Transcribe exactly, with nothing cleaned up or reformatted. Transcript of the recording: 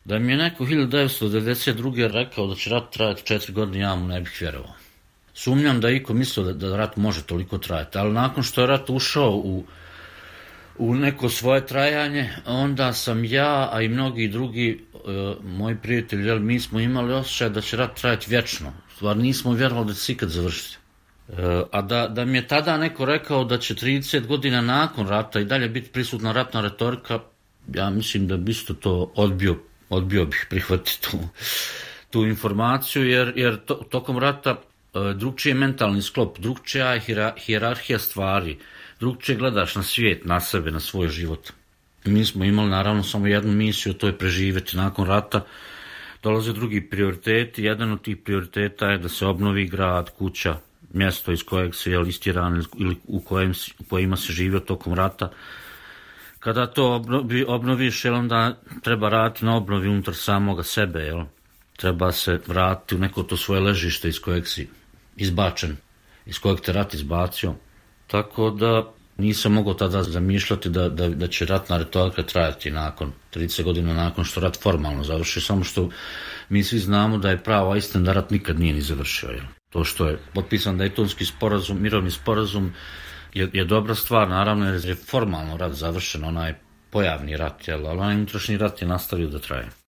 Da mi je neko hiljadu devetsto devedeset druge rekao da će rat trajati četiri godine, ja mu ne bih vjerovao. Sumnjam da je iko mislio da, da rat može toliko trajati, ali nakon što je rat ušao u, u neko svoje trajanje, onda sam ja, a i mnogi drugi e, moji prijatelji, jel, mi smo imali osjećaj da će rat trajati vječno. Stvar, nismo vjerovali da će se ikad završiti. E, a da, da mi je tada neko rekao da će trideset godina nakon rata i dalje biti prisutna ratna retorika, ja mislim da bi isto to odbio, odbio bih prihvatiti tu, tu informaciju, jer, jer to, tokom rata drugčiji je mentalni sklop, drugčija je hijerarhija stvari, drugčije gledaš na svijet, na sebe, na svoj život. Mi smo imali naravno samo jednu misiju, to je preživjeti. Nakon rata dolaze drugi prioriteti, jedan od tih prioriteta je da se obnovi grad, kuća, mjesto iz kojeg se je istjeran ili u, kojem, u kojima se živio tokom rata. Kada to obnovi, obnoviš, jel, onda treba raditi na obnovi unutar samoga sebe, jel? Treba se vratiti u neko to svoje ležište iz kojeg si izbačen, iz kojeg te rat izbacio. Tako da nisam mogao tada zamišljati da, da, da će ratna retorika trajati nakon trideset godina nakon što rat formalno završi, samo što mi svi znamo da je prava istina da rat nikad nije ni završio. Jel? To što je potpisan Dejtonski sporazum, mirovni sporazum je, je dobra stvar, naravno, jer je formalno rat završen, onaj pojavni rat, jel? Ali onaj unutrašnji rat je nastavio da traje.